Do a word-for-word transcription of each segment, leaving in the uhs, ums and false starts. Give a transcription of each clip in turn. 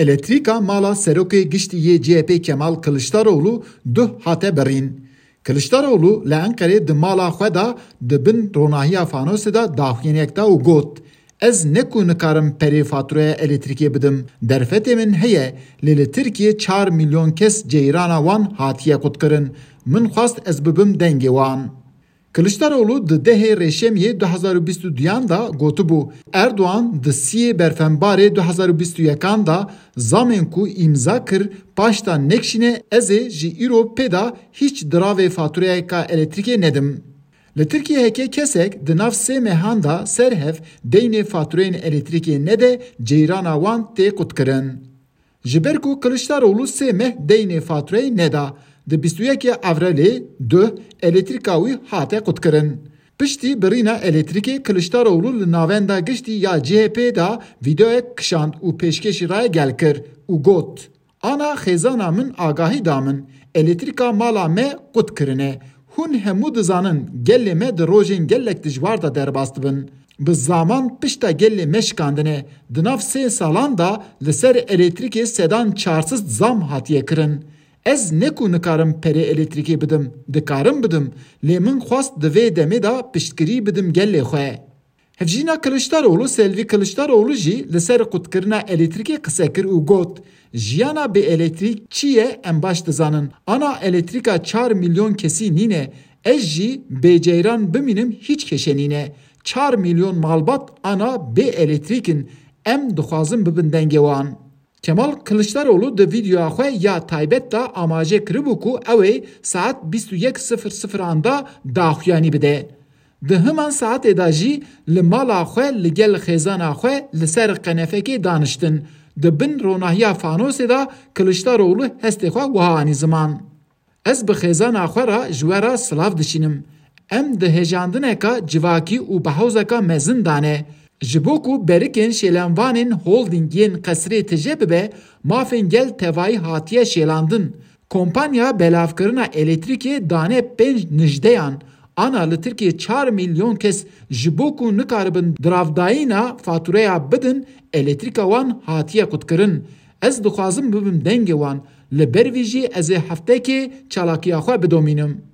Elektrîka mala serokê giştî yê C H P Kemal Kiliçdaroglu duh hate birîn. Kiliçdaroglu li Enqerê di mala xwe de di bin ronahiya fanosê de daxuyaniyek da û got, Ez ne ku nikarim perê fatûreya elektrîkê bidim, derfetê min heye, lê li Tirkiyê çar milyon kes ceyrana wan hatiye qutkirin. Min xwest ez bibim dengê wan. Kiliçdaroglu di dehê Rêşemiyê du hezar û bîst û duyan de gotibû, Erdogan di siyê Berfembarê du hezar û bîst û yekan de zamên ku îmza kir, paşta nekişîne, ez ê ji îro pê de hîç diravê fatûreyeka elektrîkê nedim. Li Tirkiyê heke kesek di nav sê mehan de ser hev deynê fatûreyên elektrîkê nede, ceyrana wan tê qutkirin. Ji ber ku Kiliçdaroglu sê meh deynê fatûreyê neda, di bîst û yekê Evrelê duh elektrîka wî hate qutkirin. Piştî birîna elektrîkê Kiliçdaroglu li navenda giştî ya C H P de vîdeoyek kişand û pêşkêşî rayegel kir û got, Ana xêzana min agahî da min, elektrîka mala me qut kirine. Hûn hemû dizanin gelê me di rojên gelek dijwar de derbas dibin. Bi zaman pişta gelê me şikandine. Di nav sê salan de li ser elektrîkê sedan çar sed zam hatiye kirin. Ez ne ku nikarim perê elektrîkê bidim, dikarim bidim, lê min xwest di vê demê de piştgirî bidim gelê xwe. Hevjîna Kiliçdaroglu Selvi Kiliçdaroglu jî li ser qutkirina elektrîkê qise kir û got, Jiyana bê elektrîk çi ye em baş dizanin. Ana elektrîka çar milyon kesî nîne. Ez jî bê ceyran bimînim hîç keşe nîne. Çar milyon malbat ana bê elektrîk in. Em dixwazin bibin dengê wan. Kemal Kiliçdaroglu di vîdeoya xwe ya taybet de amaje kiribû ku ew ê saet bîst û yek sifir sifiran de daxuyanî bide. Di himan saetê de jî li mala xwe li gel xêzana xwe li ser qenefekê daniştin. Di bin ronahiya fanosê de Kiliçdaroglu hestê xwe wiha anî ziman. Ez bi xêzana xwe re ji we re silav dişînim. Em di hejandineka civakî û behewzeka mezin de ne. Ji bo ku berikên şêlenvanên holdîng yên qesrê tije bibe, mafên gel tevayî hatiye şêlandin. Kompanya belavkirina elektrîkê dane pênc nijdeyan. Ana li Tirkiyê çar milyon kes ji bo ku nikaribin diravdayîna fatûreya bidin, elektrîka wan hatiye qutkirin. Ez dixwazim bibim dengê wan. Li ber vî jî ez ê heftekê çalakiya xwe bidomînim.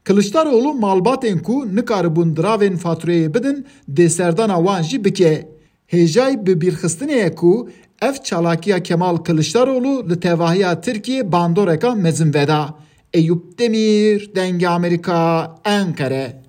Kiliçdaroglu malbatên ku nikaribûn diravên fatûreyê bidin, dê serdana wan jî bike. Hêjayî bibîrxistinê ye ku ev çalakiya Kemal Kiliçdaroglu li tevahiya Tirkiyê bandoreka mezin veda. Eyûp Demîr, Dengê Amerîka, Enqere.